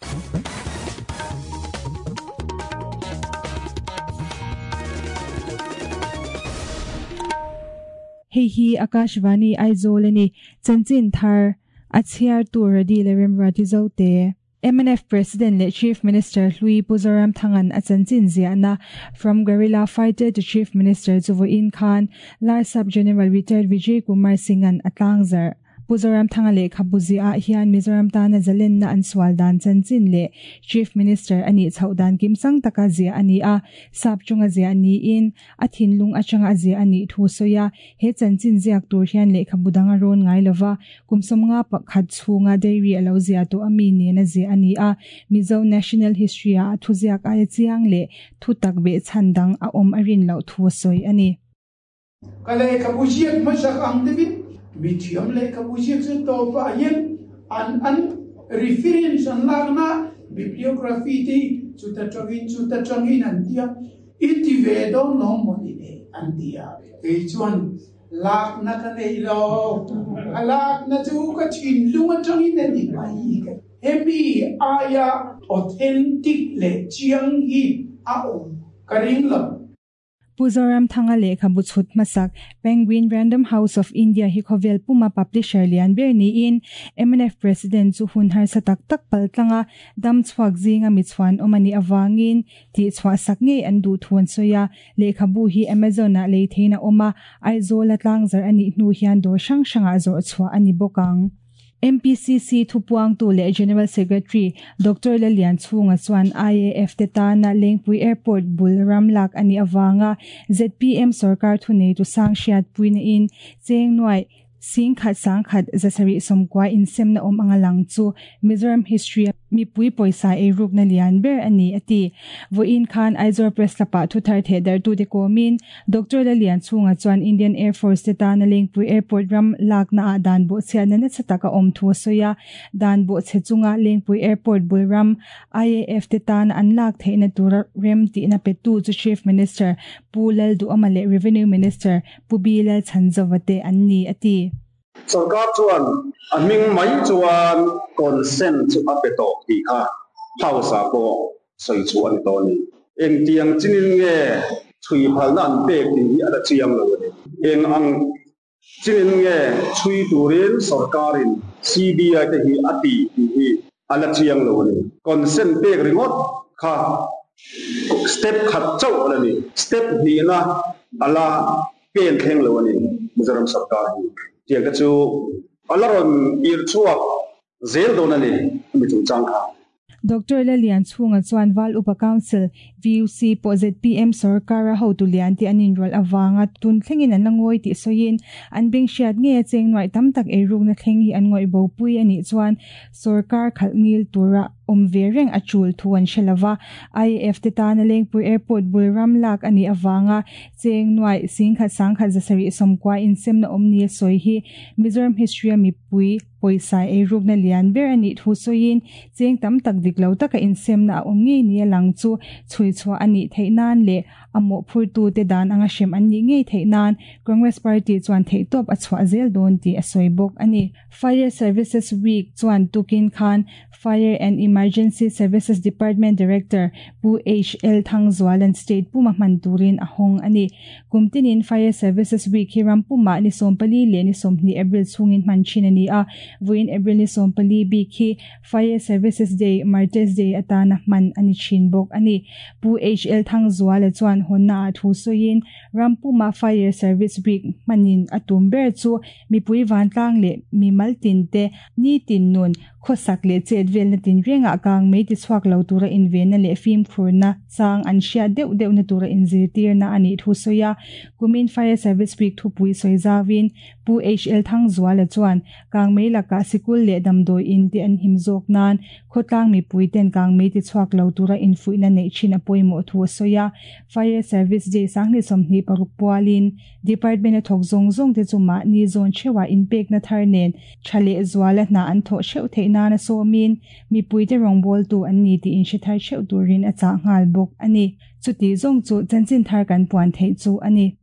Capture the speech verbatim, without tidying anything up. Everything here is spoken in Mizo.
Hei hi Akashvani Aizawl ani chanchin thar a chhiar tur radi le remrati zote M N F President le Chief Minister Hlui Pu Zoramthangan a chanchin ziahna From Guerrilla Fighter to Chief Minister chuvoin khan Larsap General Retired Vijay Kumar Singhan atlangzar Pu Zoramthanga le khabuzi a hian Mizoram tana zalen na an swal dan chanchin le Chief Minister ani chhodan kimsang taka zia ani a sap chunga zia ani in a thinlung achanga zia ani thu soya he chanchin ziak tur hian le khabudanga ron ngai lova kumsomnga pakhat chunga dairy alo zia to ami ne na zia ani a Mizo National History a thu ziak a chiang le thu takbe chandang a om arin lo thu soi ani kale khabuziak masak ang devin mi thiam le khabuziak chu to pa yen an an reference an lagna bibliography ti chu ta tangin chu ta tangin an tia iti ve do no mo ni le an tia ke chuan lak na ka nei lo alak na chu ka chin lunga tangin ani mai ka hemi aya authentic le chiang hi a om ka ring lo Pu Zoramthanga le khabu chhut masak Penguin Random House of India hi khovel puma publisher lian ber ni in M N F President chu hun har sa tak tak paltlanga dam chhuak zinga mi chuan omani awangin ti chhuah sak nge an du thuan soya le khabu hi Amazon a lei theina oma Aizawl atlangzar ani hnu hian dor hrang hranga zawr chhuah ani bawkang M P C C thupuang tu le General Secretary Doctor Lalian Chunga chuan I A F te tana Lengpui Airport bul ramlak ani awanga Z P M sarkar thunei tu sang hriat puina in cheng nuai sing khat sang khat zasari somkwa in semna om anga lang chu Mizoram history mi pui poisa e ruk na lian ber ani ati voin khan Aizawl Press lapa thu thar the dar tu de komin Doctor Lalian Chunga chuan Indian Air Force te tana Lengpui Airport ram lak na dan bo chhe na na chataka om thu soya dan bo che chunga Lengpui Airport bul ram I A F te tana an lak theina tur rem ti na petu chu Chief Minister Pu Lal Du Amale Revenue Minister Pu Bilal Chanzawate an ni ati sarkar chuan a ming mai chuan consent chu a pe to ti kha hausa po soi chu ani to ni eng tiang chinin nge chui phal na an pek ti hi ala chiang lo ni eng ang chinin nge chui turin sarkarin C B I te hi ati ti hi ala chiang lo ni consent pek ringot kha step khat chau ala ni step ni na ala pen thleng lo ni Mizoram sarkar hi tiang ka chu alaron ir chuak zel don ani mi chung chang kha Doctor Lalian Chunga chuan Val Upa Council V U C po Z P M sarkara ho tu lian ti anin rol awanga tun thlengin an langoi ti soin an beng hriat nge cheng noi tam tak eruk na thleng hi an ngoi bo pui ani chuan sarkar khalngil tura om ve reng achul thuan shelawa I A F te tana Lengpui Airport bul ramlak ani awanga cheng noi singkhat sangkhat zasari somkwa in semna omni soi hi Mizoram history mi pui poisa eruk na lian ber ani thu soin cheng tam tak diklo taka in semna om nge ni lang chu chui chua ani theinan le amo phurtu te dan anga shem ani nge theinan Congress Party chuan theitop achwa zel don ti asoi bok ani Fire Services Week chuan tukin khan Fire and Emergency Services Department Director Pu H L Thangzualan State Puma Manturin ahong ani kumtinin Fire Services Week hiram puma ni sompali le ni somni April chungin manchin ani a vuin April ni sompali bi khi Fire Services Day Martes Day atana man ani chin bok ani Pu H L Thangzuala chuan honna thu soin Rampuma Fire Service Week manin atum ber chu mi pui van tlang le mi maltin te ni tin nun khosak le chetvel na tin renga kang mei ti chuak lo tura in ven na le film khurna chang an hria deuh deuh na tura in zirtir na ani thu soya kumin Fire Service Week thu pui soi zawin Pu H L Thangzuala chuan kang mei laka sikul le damdoi in ti an him zawk nan khotlang mi pui ten kang mei ti chuak lo tura in fuina nei chin a poimo thu soya Fire Service Day sangni somni paruk pualin department a thok zong zong te chuma ni zon chewa in pek na thar nen thale zuala na an tho cheu theina na so min mi pui te rong bol tu an ni ti in shi thar cheu turin a cha ngal bok ani chuti zong chu chanchin thar kan puan thei chu ani.